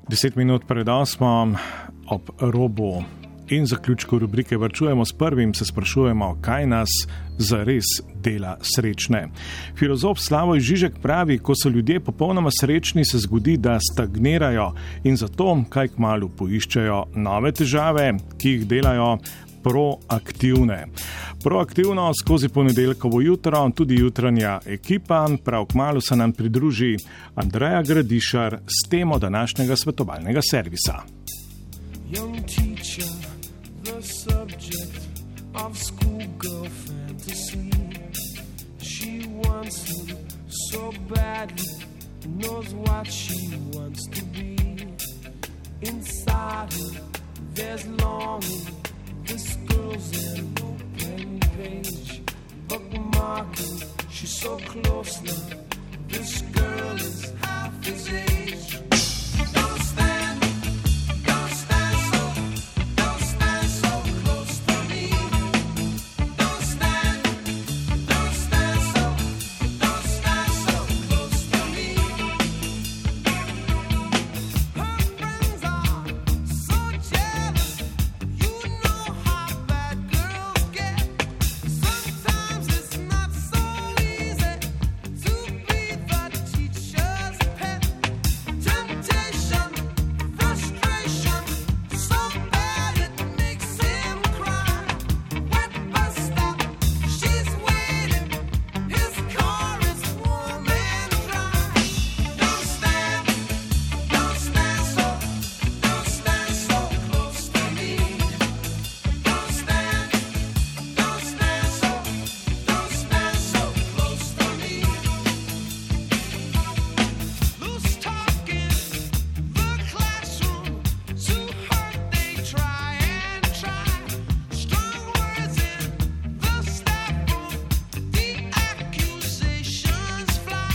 10 minut pred 8 ob robu in zaključku rubrike Varčujemo s prvim se sprašujemo, kaj nas zares dela srečne. Filozof Slavoj Žižek pravi, ko so ljudje popolnoma srečni, se zgodi, da stagnirajo in zato kaj kmalu poiščejo nove težave, ki jih delajo proaktivne. Proaktivno skozi ponedeljkovo jutro, tudi jutranja ekipa, prav kmalu se nam pridruži Andreja Gradišar s temo današnjega svetovalnega servisa. Young teacher, the subject of schoolgirl fantasy. She wants him so badly, knows what she wants to be. Inside her, there's longing. This girl's an open page, bookmarking. She's so close now. This girl is half his age. Don't stand so close to me. Don't stand so close to me. Her friends are so jealous. You know how bad girls get. Sometimes it's not so easy to be the teacher's pet. Temptation, frustration, so bad it makes him cry. Wet bus stop, she's waiting. His car is warm and dry. Don't stand so close to me. Don't stand so close to me. Loose talk in the classroom, too hard they try and try. Strong words in the staff room, the accusations fly.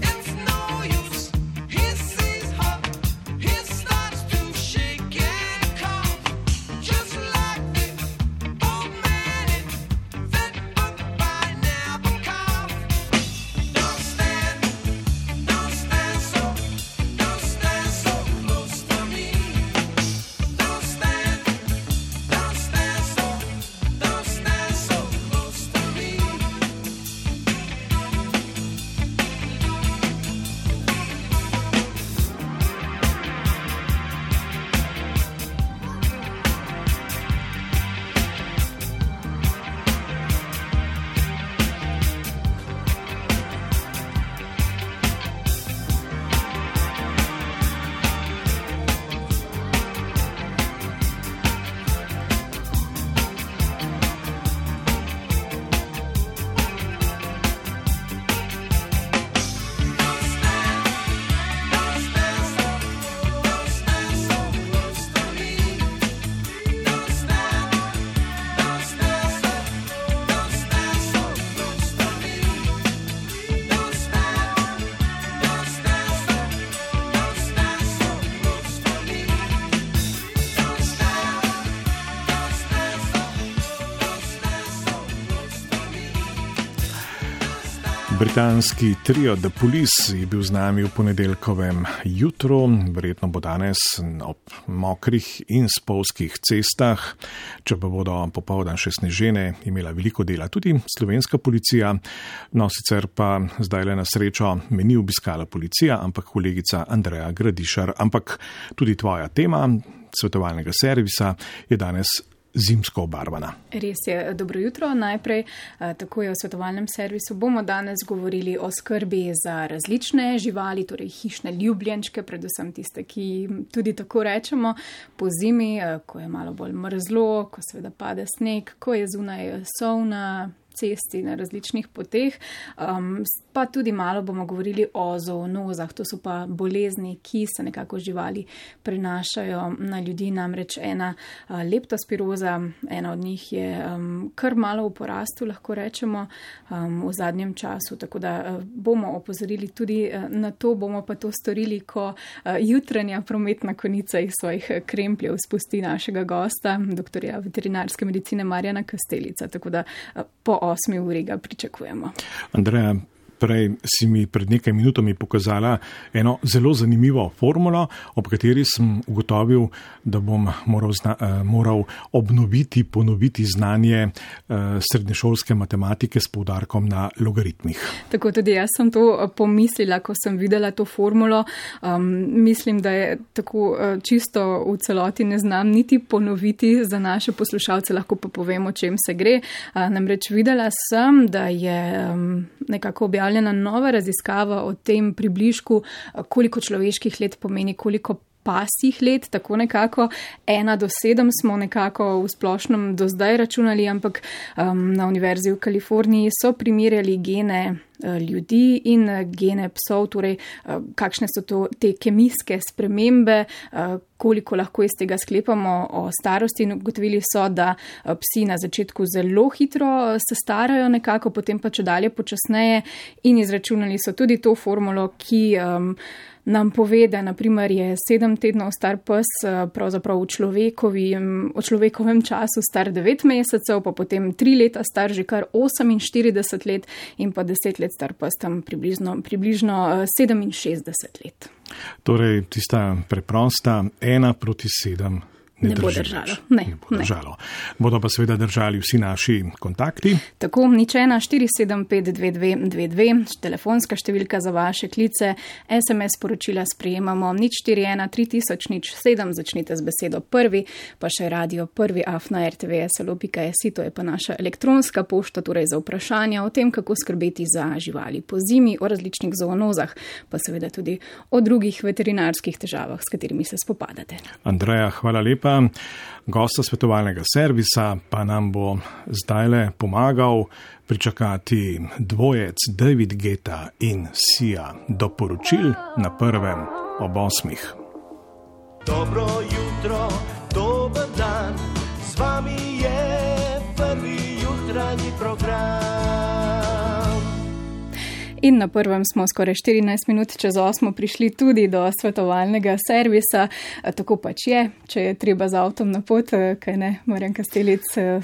It's no use, he sees her, he starts to shake and cough. Just like the old man in that book by Nabokov. Don't stand so close to me. Don't stand so close to me. Britanski trio The Police je bil z nami v ponedeljkovem jutru, verjetno bo danes ob mokrih in spolzkih cestah, če pa bodo popoldan še snežene, imela veliko dela tudi slovenska policija, no sicer pa zdaj le na srečo me ni obiskala policija, ampak kolegica Andreja Gradišar, ampak tudi tvoja tema svetovalnega servisa je danes zimsko obarvana. Res je, dobro jutro. Najprej, tako je v svetovalnem servisu, bomo danes govorili o skrbi za različne živali, torej hišne ljubljenčke, predvsem tiste, ki tudi tako rečemo po zimi, ko je malo bolj mrzlo, ko seveda pade sneg, ko je zunaj sol na cesti, na različnih poteh. Pa tudi malo bomo govorili o zoonozah, to so pa bolezni, ki se nekako živali prenašajo na ljudi, namreč ena leptospiroza, ena od njih je kar malo v porastu, lahko rečemo, v zadnjem času, tako da bomo opozorili tudi na to, bomo pa to storili, ko jutranja prometna konica iz svojih krempljev spusti našega gosta, doktorja veterinarske medicine Marjana Kastelica, tako da po 8 uri ga pričakujemo. Andreja, Prej si mi pred nekaj minutami pokazala eno zelo zanimivo formulo, ob kateri sem ugotovil, da bom moral obnoviti, ponoviti znanje srednješolske matematike s poudarkom na logaritmih. Tako tudi jaz sem to pomislila, ko sem videla to formulo. Mislim, da je tako čisto v celoti ne znam niti ponoviti za naše poslušalce, lahko pa povem, o čem se gre. Namreč videla sem, da je nekako objavljena nova raziskava o tem približku, koliko človeških let pomeni, koliko pasjih let, tako nekako 1 do 7 smo nekako v splošnem do zdaj računali, ampak na Univerzi v Kaliforniji so primerjali gene ljudi in gene psov, torej kakšne so te kemijske spremembe, koliko lahko iz tega sklepamo o starosti, in ugotovili so, da psi na začetku zelo hitro se starajo nekako, potem pa čedalje počasneje, in izračunali so tudi to formulo, ki nam pove, da naprimer je 7 tednov star pes pravzaprav v človekovem času star 9 mesecev, pa potem 3 leta star že kar 48 let in pa 10 let star pes tam približno 67 let. Torej, tista preprosta 1:7 ne bo drži držalo. več. Ne bo držalo. Bodo pa seveda držali vsi naši kontakti. Tako, 014752222, telefonska številka za vaše klice, SMS poročila sprejemamo 0413007, začnite z besedo prvi, pa še radio prvi@rtvslo.si, to je pa naša elektronska pošta, torej za vprašanja o tem, kako skrbeti za živali po zimi, o različnih zoonozah, pa seveda tudi o drugih veterinarskih težavah, s katerimi se spopadate. Andreja, hvala lepa. Gosta svetovalnega servisa pa nam bo zdajle pomagal pričakati dvojec David Guetta in Sia do poročil na prvem ob 8. Dobro jutro, dober dan, z vami je prvi jutranji program. In na prvem smo skoraj 14 minut čez 8 prišli tudi do svetovalnega servisa. Tako pač je, če je treba z avtom na pot, kaj ne, Marjan Kastelic,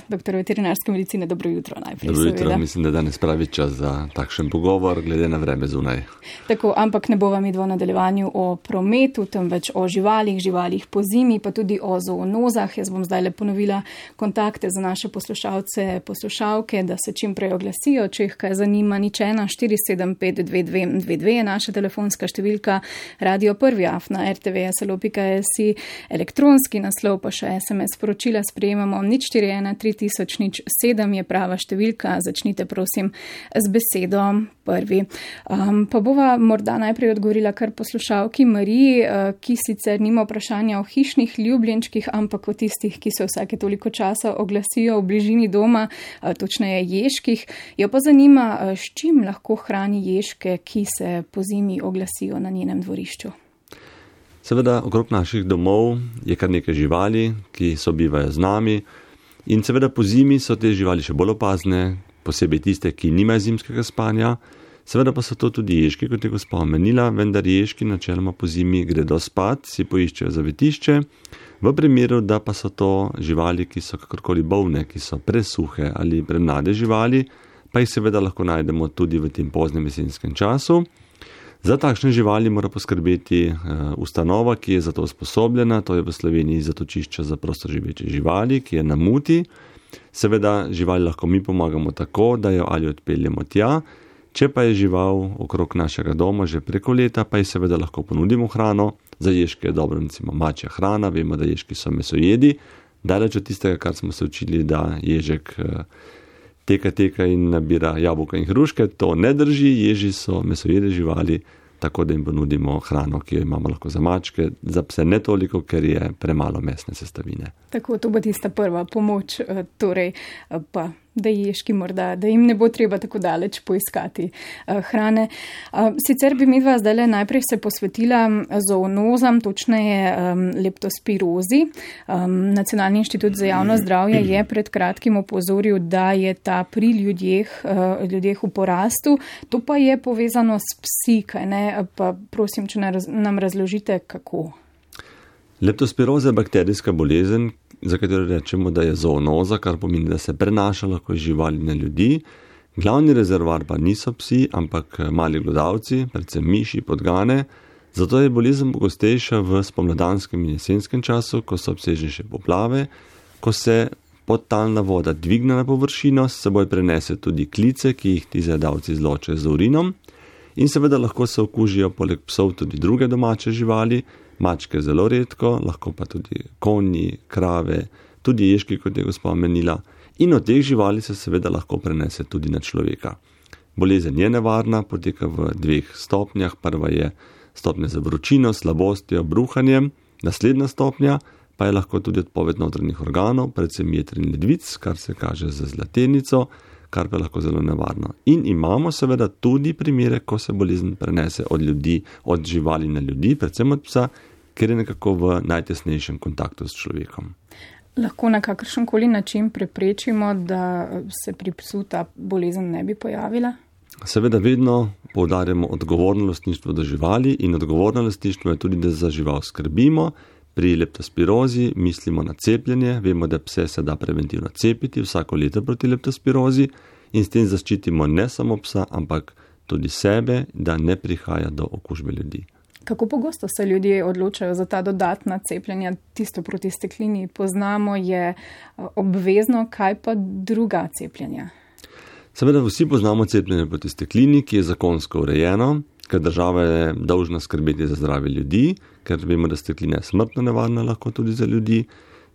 doktor veterinarske medicine, dobro jutro najprej. Dobro jutro, seveda. mislim, da danes pravi čas za takšen pogovor, glede na vreme zunaj. Tako, ampak ne bova midva v nadaljevanju o prometu, temveč o živalih po zimi, pa tudi o zoonozah. Jaz bom zdaj le ponovila kontakte za naše poslušalce, poslušalke, da se čim prej oglasijo, če jih kaj zanima. 014752222 je naša telefonska številka, radio prvi@rtvslo.si, elektronski naslov pa še SMS poročila sprejemamo 0413007 je prava številka, začnite prosim z besedo prvi. Pa bova morda najprej odgovorila kar poslušalki Mariji, ki sicer nima vprašanja o hišnih ljubljenčkih, ampak o tistih, ki se vsake toliko časa oglasijo v bližini doma, točneje ježkih. Jo pa zanima, s čim lahko hrani ježke, ki se po zimi oglasijo na njenem dvorišču. Seveda, okrog naših domov je kar nekaj živali, ki sobivajo z nami, in seveda po zimi so te živali še bolj opazne, posebej tiste, ki nimajo zimskega spanja. Seveda pa so to tudi ježki, kot je gospa omenila, vendar ježki načeloma po zimi gredo spat, si poiščejo zavetišče, v primeru, da pa so to živali, ki so kakorkoli bolne, ki so presuhe ali premlade živali, pa jih seveda lahko najdemo tudi v tem poznem jesenskem času. Za takšne živali mora poskrbeti ustanova, ki je za to usposobljena, to je v Sloveniji zatočišče za prostoživeče živali, ki je na Muti. Seveda živali lahko mi pomagamo tako, da jo ali odpeljemo tja, če pa je žival okrog našega doma že preko leta, pa ji seveda lahko ponudimo hrano. Za ježke je dobro recimo mačja hrana, vemo, da ježki so mesojedi, daleč od tistega, kar smo se učili, da ježek teka in nabira jabolka in hruške, to ne drži, ježi so mesojede živali, tako da jim ponudimo hrano, ki jo imamo lahko za mačke, za pse ne toliko, ker je premalo mesne sestavine. Tako, to bo tista prva pomoč, torej pa da ježki morda, da jim ne bo treba tako daleč poiskati hrane. Sicer bi midva zdaj najprej se posvetila zoonozam, točneje leptospirozi. Nacionalni inštitut za javno zdravje je pred kratkim opozoril, da je ta pri ljudeh v porastu. To pa je povezano s psi, kaj ne? Pa prosim, če nam razložite, kako. Leptospiroza je bakterijska bolezen, za katero rečemo, da je zoonoza, kar pomeni, da se prenaša lahko iz živali na ljudi. Glavni rezervoar pa niso psi, ampak mali glodavci, predvsem miši, podgane, zato je bolezen pogostejša v spomladanskem in jesenskem času, ko so obsežnejše poplave, ko se podtalna voda dvigne na površino, s seboj prenese tudi klice, ki jih ti zajedavci izločajo z urinom, in seveda lahko se okužijo poleg psov tudi druge domače živali, mačke zelo redko, lahko pa tudi konji, krave, tudi ježki, kot je gospa omenila, in od teh živali se seveda lahko prenese tudi na človeka. Bolezen je nevarna, poteka v 2 stopnjah. Prva je stopnja za vročino, slabostjo, bruhanjem, naslednja stopnja pa je lahko tudi odpoved notranjih organov, predvsem jeter in ledvic, kar se kaže z zlatenico, kar pa je lahko zelo nevarno. In imamo seveda tudi primere, ko se bolezen prenese od ljudi, od živali na ljudi, predvsem od psa, ker je nekako v najtesnejšem kontaktu s človekom. Lahko na kakršenkoli način preprečimo, da se pri psu ta bolezen ne bi pojavila? Seveda vedno poudarjamo odgovorno lastništvo do živali in odgovorno lastništvo je tudi, da za žival skrbimo. Pri leptospirozi mislimo na cepljenje, vemo, da pse se da preventivno cepiti vsako leto proti leptospirozi in s tem zaščitimo ne samo psa, ampak tudi sebe, da ne prihaja do okužbe ljudi. Kako pogosto se ljudje odločajo za ta dodatna cepljenja, tisto proti steklini poznamo, je obvezno, kaj pa druga cepljenja? Seveda vsi poznamo cepljenje proti steklini, ki je zakonsko urejeno, ker država je dolžna skrbeti za zdravje ljudi, ker vemo, da steklina je smrtno nevarna lahko tudi za ljudi.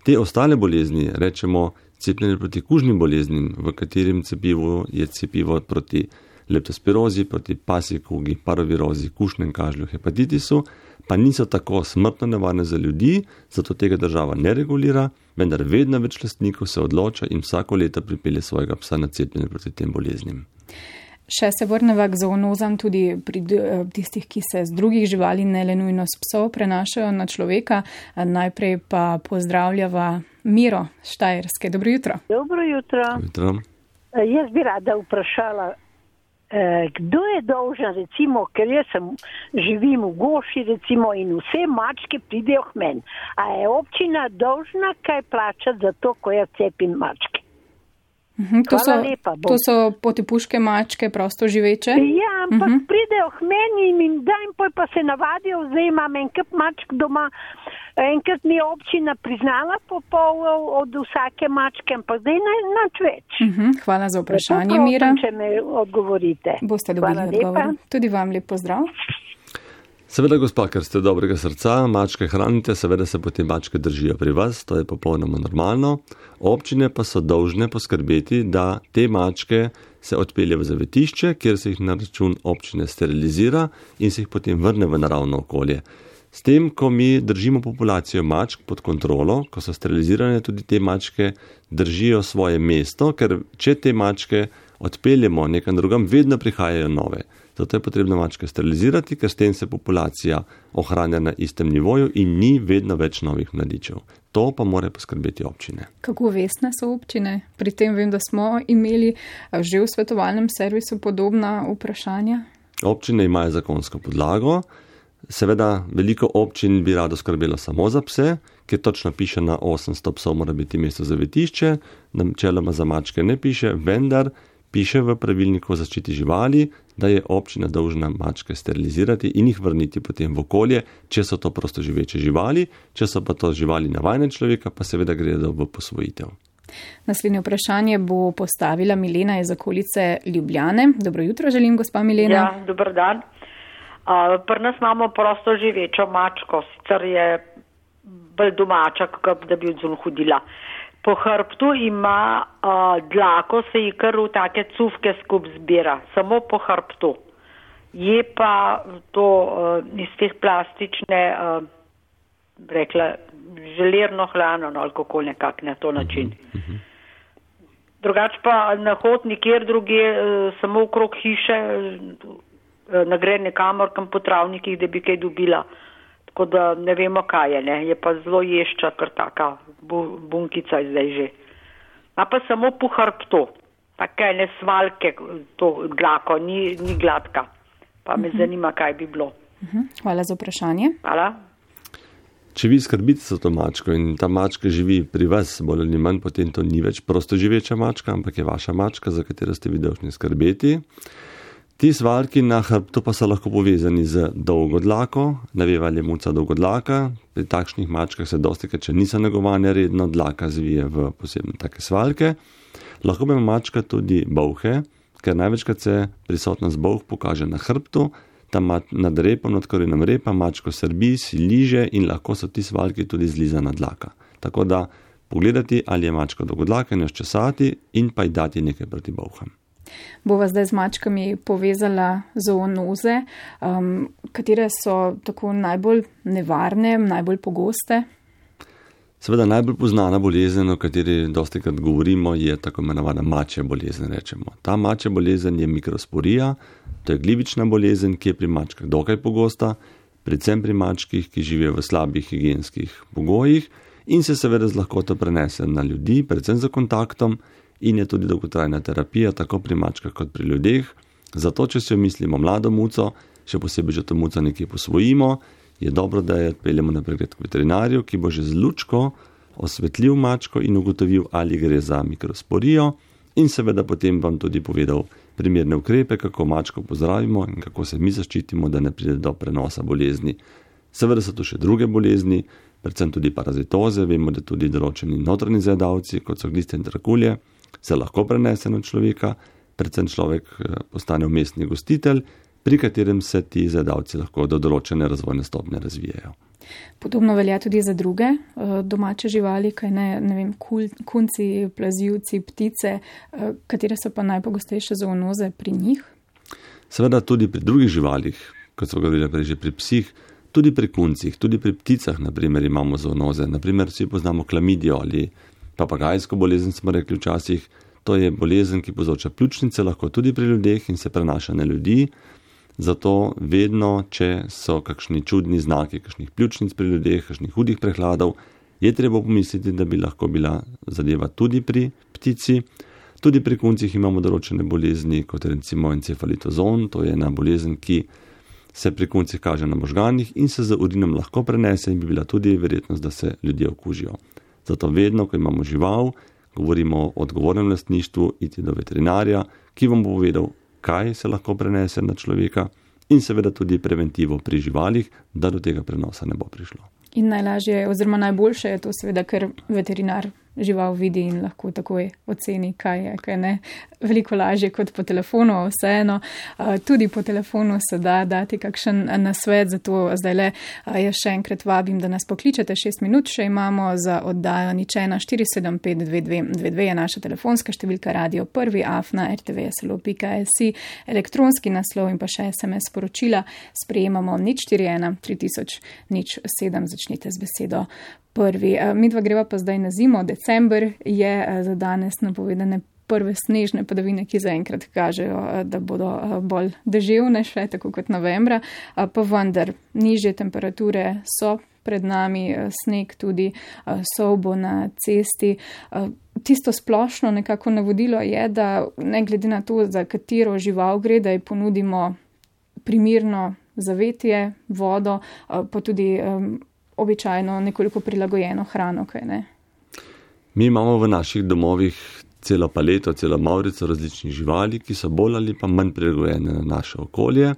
Te ostale bolezni, rečemo cepljenje proti kužnim boleznim, v katerem cepivu je cepivo proti leptospirozi, proti pasji kugi, parovirozi, kužnem kašlju, hepatitisu, pa niso tako smrtno nevarne za ljudi, zato tega država ne regulira, vendar vedno več lastnikov se odloča in vsako leto pripelje svojega psa na cepljenje proti tem boleznim. Še se vrneva k zoonozam tudi pri tistih, ki se z drugih živali, ne le nujno s psov, prenašajo na človeka. Najprej pa pozdravljava Miro Štajerske. Dobro jutro. Dobro jutro. Jutro. Jaz bi rada vprašala, kdo je dolžan, recimo, ker jaz živim v Goši, recimo, in vse mačke pridejo k meni. A je občina dolžna kaj plačati za to, ko jaz cepim mačke? To so potepuške mačke, prosto živeče? Ja, ampak pridejo k meni in dajem, pa se navadijo, zdaj imam enkrat mačk doma, enkrat mi je občina priznala po pol od vsake mačke, ampak zdaj nič več. Hvala za vprašanje, Mira. Če me odgovorite. Boste dobili odgovor. Tudi vam lep pozdrav. Seveda, gospa, ker ste dobrega srca, mačke hranite, seveda se potem mačke držijo pri vas, to je popolnoma normalno. Občine pa so dolžne poskrbeti, da te mačke se odpelje v zavetišče, kjer se jih na račun občine sterilizira in se jih potem vrne v naravno okolje. S tem, ko mi držimo populacijo mačk pod kontrolo, ko so sterilizirane, tudi te mačke držijo svoje mesto, ker če te mačke odpeljemo nekam drugam, vedno prihajajo nove. Zato je potrebno mačke sterilizirati, ker s tem se populacija ohranja na istem nivoju in ni vedno več novih mladičev. To pa mora poskrbeti občine. Kako vestne so občine? Pri tem vem, da smo imeli že v svetovalnem servisu podobna vprašanja. Občine imajo zakonsko podlago. Seveda, veliko občin bi rado skrbelo samo za pse, ker točno piše na 800 psov mora biti mesto zavetišče, načeloma za mačke ne piše, vendar piše v pravilniku o zaščiti živali, da je občina dolžna mačke sterilizirati in jih vrniti potem v okolje, če so to prosto živeče živali, če so pa to živali navajene človeka, pa seveda gredo v posvojitev. Naslednje vprašanje bo postavila Milena iz okolice Ljubljane. Dobro jutro želim, gospa Milena. Ja, dober dan. Pri nas imamo prosto živečo mačko, sicer je bolj domača, da bi odzun hodila. Po hrbtu ima dlako, se ji kar v take cufke skup zbira, samo po hrbtu. Je pa to iz teh plastične, rekla, želerno hlano, ali kako nekak na to način. Drugač pa na hod nikjer druge, samo okrog hiše, ne gre nekamor kam po travnikih, da bi kaj dobila. Tako da ne vemo, kaj je, ne. Je pa zelo ješča, kar taka bunkica je zdaj že. A pa samo po hrbtu, take ne svalke, to dlako, ni gladka. Pa me zanima, kaj bi bilo. Hvala za vprašanje. Hvala. Če vi skrbite za to mačko in ta mačka živi pri vas, bolj ali manj, potem to ni več prostoživeča mačka, ampak je vaša mačka, za katero ste vi dolžni skrbeti. Ti svaljki na hrbtu pa so lahko povezani z dolgo dlako, naveva je muca dolgodlaka. Pri takšnih mačkah se dostikrat, če niso negovane redno, dlaka zvije v posebne take svaljke. Lahko ima mačka tudi bolhe, ker največkrat se prisotnost bolh pokaže na hrbtu, tam nad repom, nad korenom repa, mačko srbi, si liže in lahko so ti svaljki tudi zlizana dlaka. Tako da pogledati, ali je mačka dolgodlaka in jo ščesati in pa ji dati nekaj proti bolham. Bova zdaj z mačkami povezala zoonoze, katere so tako najbolj nevarne, najbolj pogoste? Seveda najbolj poznana bolezen, o kateri dostikrat govorimo, je tako imenovana mačja bolezen, rečemo. Ta mačja bolezen je mikrosporija, to je glivična bolezen, ki je pri mačkah dokaj pogosta, predvsem pri mačkih, ki živijo v slabih higienskih pogojih in se seveda z lahkoto prenese na ljudi, predvsem za kontaktom, in je tudi dolgotrajna terapija, tako pri mačkah kot pri ljudeh. Zato, če si mislimo mlado muco, še posebej, če to muco nekje posvojimo, je dobro, da jo peljemo na pregled k veterinarju, ki bo že z lučko osvetlil mačko in ugotovil, ali gre za mikrosporijo in seveda potem vam tudi povedal primerne ukrepe, kako mačko pozdravimo in kako se mi zaščitimo, da ne pride do prenosa bolezni. Seveda so tu še druge bolezni, predvsem tudi parazitoze, vemo, da tudi določeni notranji zajedavci, kot so gliste in trakulje, se lahko prenese na človeka, predvsem človek postane vmesni gostitelj, pri katerem se ti zajedavci lahko do določene razvojne stopnje razvijajo. Podobno velja tudi za druge domače živali, kaj ne vem, kunci, plazivci, ptice, katere so pa najpogostejše zoonoze pri njih? Seveda tudi pri drugih živalih, kot so govorili prej že pri psih, tudi pri kuncih, tudi pri pticah, naprimer, imamo zoonoze. Naprimer, vsi poznamo klamidijo ali papagajsko bolezen, smo rekli včasih. To je bolezen, ki povzroča pljučnice, lahko tudi pri ljudeh in se prenaša na ljudi. Zato vedno, če so kakšni čudni znaki, kakšnih pljučnic pri ljudeh, kakšnih hudih prehladov, je treba pomisliti, da bi lahko bila zadeva tudi pri ptici. Tudi pri kuncih imamo določene bolezni, kot recimo encefalitozon, to je ena bolezen, ki se pri kuncih kaže na možganih in se z urinom lahko prenese in bi bila tudi verjetnost, da se ljudje okužijo. Zato vedno, ko imamo žival, govorimo o odgovornem lastništvu, iti do veterinarja, ki vam bo povedal, kaj se lahko prenese na človeka in seveda tudi preventivo pri živalih, da do tega prenosa ne bo prišlo. In najlažje oziroma najboljše je to seveda, ker veterinar žival vidi in lahko takoj oceni, kaj je, kaj ne. Veliko lažje kot po telefonu, vseeno. Tudi po telefonu se da dati kakšen nasvet, zato zdajle jaz še enkrat vabim, da nas pokličete. 6 minut še imamo za oddajo nič 1 475 2222 je naša telefonska številka, radio 1@rtvslo.si, elektronski naslov in pa še SMS sporočila. Sprejemamo 041 3000 07, začnite z besedo prvi. Midva greva pa zdaj na zimo. December je za danes napovedane prve snežne padavine, ki zaenkrat kažejo, da bodo bolj deževne še, tako kot novembra, pa vendar nižje temperature so pred nami, sneg tudi, solbo na cesti. Tisto splošno nekako navodilo je, da ne glede na to, za katero žival gre, da ji ponudimo primirno zavetje, vodo, pa tudi običajno nekoliko prilagojeno hrano, kaj ne? Mi imamo v naših domovih celo paleto, celo mavrico različnih živali, ki so bolj ali pa manj prilagojene na naše okolje.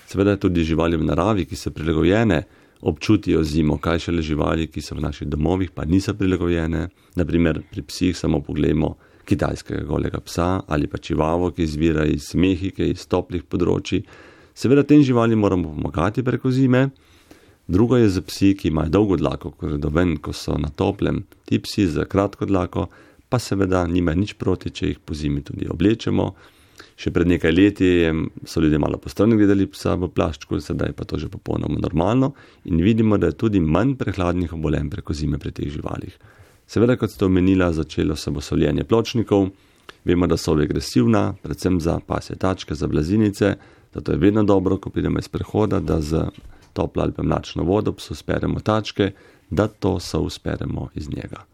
Seveda tudi živali v naravi, ki so prilagojene, občutijo zimo, kaj šele živali, ki so v naših domovih, pa niso prilagojene. Naprimer, pri psih samo pogledamo kitajskega golega psa ali pa čivavo, ki izvira iz Mehike, iz toplih področji. Seveda tem živali moramo pomagati preko zime. Drugo je za psi, ki imajo dolgo dlako, ko gredo ven, ko so na toplem. Ti psi za kratko dlako pa seveda nimajo nič proti, če jih po zimi tudi oblečemo. Še pred nekaj leti so ljudje malo postrani gledali psa v plaščku, sedaj pa to že popolnoma normalno in vidimo, da je tudi manj prehladnih obolenj preko zime pri teh živalih. Seveda, kot ste omenila, začelo se bo soljenje pločnikov. Vemo, da so agresivna, predvsem za pasje tačke, za blazinice, zato je vedno dobro, ko pridemo iz prehoda, da z toplo ali pa mlačno vodo psu speremo tačke, da to so speremo iz njega.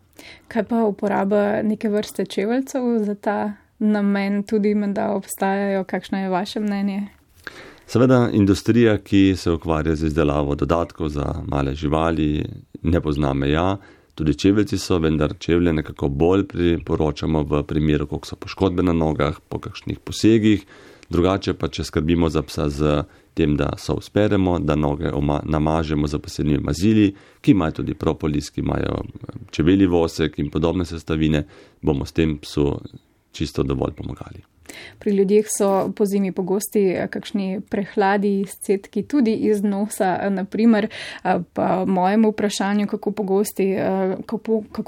Kaj pa uporaba neke vrste čeveljcev za ta namen tudi menda obstajajo? Kakšno je vaše mnenje? Seveda industrija, ki se ukvarja z izdelavo dodatkov za male živali, ne pozna meja. Tudi čeveljci so, vendar čevlje nekako bolj priporočamo v primeru, koliko so poškodbe na nogah, po kakšnih posegih. Drugače pa, če skrbimo za psa z tem, da so usperemo, da noge namažemo z posebnimi mazili, ki imajo tudi propolis, ki imajo čevelji vosek in podobne sestavine, bomo s tem psu čisto dovolj pomagali. Pri ljudeh so pozimi pogosti kakšni prehladi, izcedki tudi iz nosa, naprimer, pa mojemu vprašanju, kako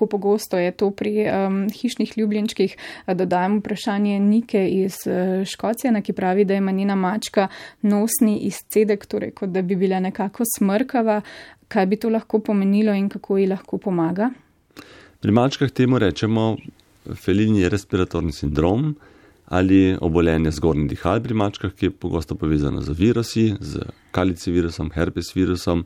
pogosto je to pri hišnih ljubljenčkih, dodajam vprašanje Nike iz Škocije, ki pravi, da ima njena mačka nosni izcedek, torej kot da bi bila nekako smrkava. Kaj bi to lahko pomenilo in kako ji lahko pomaga? Pri mačkah temu rečemo felinji respiratorni sindrom, ali obolenje zgornjih dihal pri mačkah, ki je pogosto povezano z virusi, z kalici virusom, herpes virusom.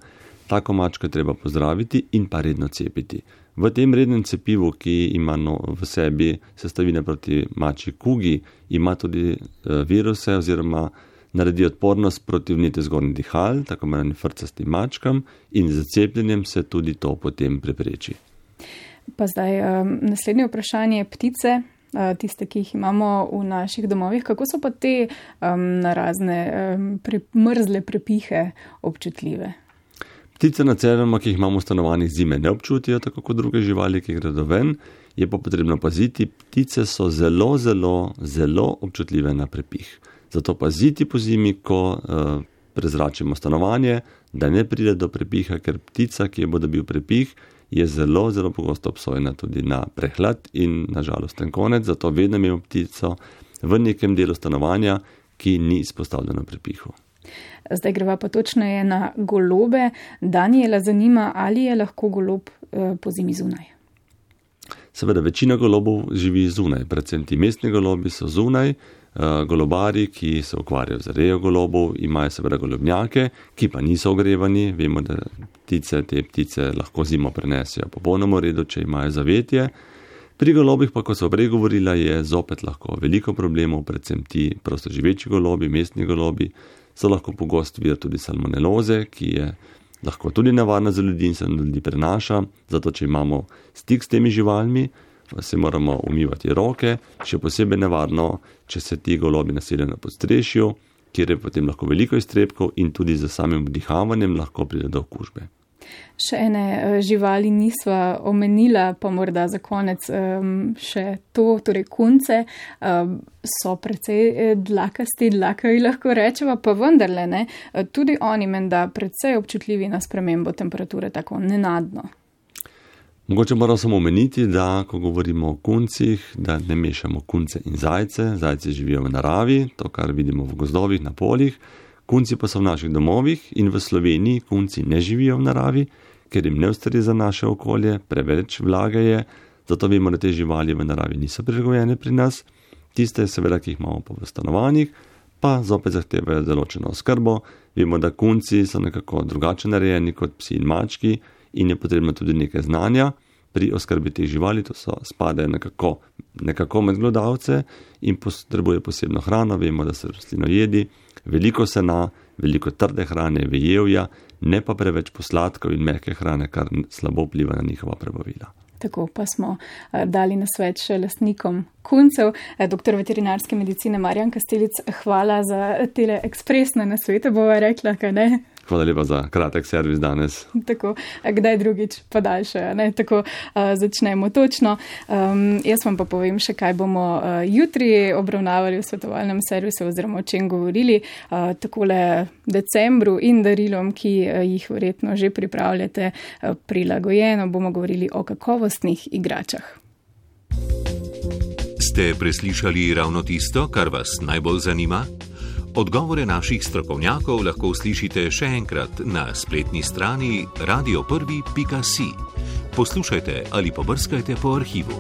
Tako mačko je treba pozdraviti in pa redno cepiti. V tem rednem cepivu, ki ima v sebi sestavine proti mačji kugi, ima tudi viruse oziroma naredi odpornost proti vnetju zgornjih dihal, tako imenovanim frcastim mačkam, in z cepljenjem se tudi to potem prepreči. Pa zdaj naslednje vprašanje, ptice. Tiste, ki jih imamo v naših domovih, kako so pa te na razne mrzle prepihe občutljive? Ptice načeloma, ki jih imamo v stanovanjih, zime ne občutijo, tako kot druge živali, ki gredo ven, je pa potrebno paziti. Ptice so zelo, zelo, zelo občutljive na prepih. Zato paziti po zimi, ko prezračimo stanovanje, da ne pride do prepiha, ker ptica, ki je bo dobil prepih, je zelo, zelo pogosto obsojena tudi na prehlad in na žalosten konec, zato vedno imamo ptico v nekem delu stanovanja, ki ni izpostavljeno prepihu. Zdaj greva pa točneje na golobe. Danijela zanima, ali je lahko golob pozimi zunaj? Seveda, večina golobov živi zunaj, predvsem ti mestni golobi so zunaj. Golobari, ki se ukvarjajo z rejo golobov, imajo seveda golobnjake, ki pa niso ogrevani. Vemo, da te ptice lahko zimo prenesijo popolnoma v redu, če imajo zavetje. Pri golobih pa, kot so prej govorila, je zopet lahko veliko problemov, predvsem ti prostoživeči golobi, mestni golobi, so lahko pogost vir tudi salmoneloze, ki je lahko tudi nevarna za ljudi in se na ljudi prenaša. Zato, če imamo stik s temi živalmi, se moramo umivati roke, še posebej nevarno, če se ti golobi naseljajo na podstrešju, kjer je potem lahko veliko iztrebkov in tudi z samim vdihavanjem lahko pride do okužbe. Še ene živali nisva omenila, pa morda za konec še to, torej kunce so precej dlakasti, dlakavi lahko rečeva, pa vendarle ne, tudi oni menda precej občutljivi na spremembo temperature, tako nenadno. Mogoče moramo samo omeniti, da ko govorimo o kuncih, da ne mešamo kunce in zajce. Zajci živijo v naravi, to, kar vidimo v gozdovih, na poljih. Kunci pa so v naših domovih in v Sloveniji kunci ne živijo v naravi, ker jim ne ustreza naše okolje, preveč vlage je, zato vemo, da te živali v naravi niso prilagojene pri nas. Tiste, seveda, ki jih imamo pa v stanovanjih, pa zopet zahtevajo določeno oskrbo. Vemo, da kunci so nekako drugače narejeni kot psi in mački, in je potrebno tudi nekaj znanja pri oskrbi teh živali, to spadajo nekako med glodavce in potrebuje posebno hrano. Vemo, da so rastlinojedi, veliko sena, veliko trde hrane, vejevja, ne pa preveč posladkov in mehke hrane, kar slabo vpliva na njihova prebavila. Tako pa smo dali nasvet še lastnikom kuncev. Doktor veterinarske medicine Marjan Kastelic, hvala za tele ekspresne nasvete, bova rekla, kaj ne? Hvala lepa za kratek servis danes. Tako, kdaj drugič pa daljše, ne? Tako začnemo točno. Jaz vam pa povem še, kaj bomo jutri obravnavali v svetovalnem servisu oziroma o čem govorili. Takole decembru in darilom, ki jih verjetno že pripravljate prilagojeno, bomo govorili o kakovostnih igračah. Ste preslišali ravno tisto, kar vas najbolj zanima? Odgovore naših strokovnjakov lahko slišite še enkrat na spletni strani radio1.si. Poslušajte ali pobrskajte po arhivu.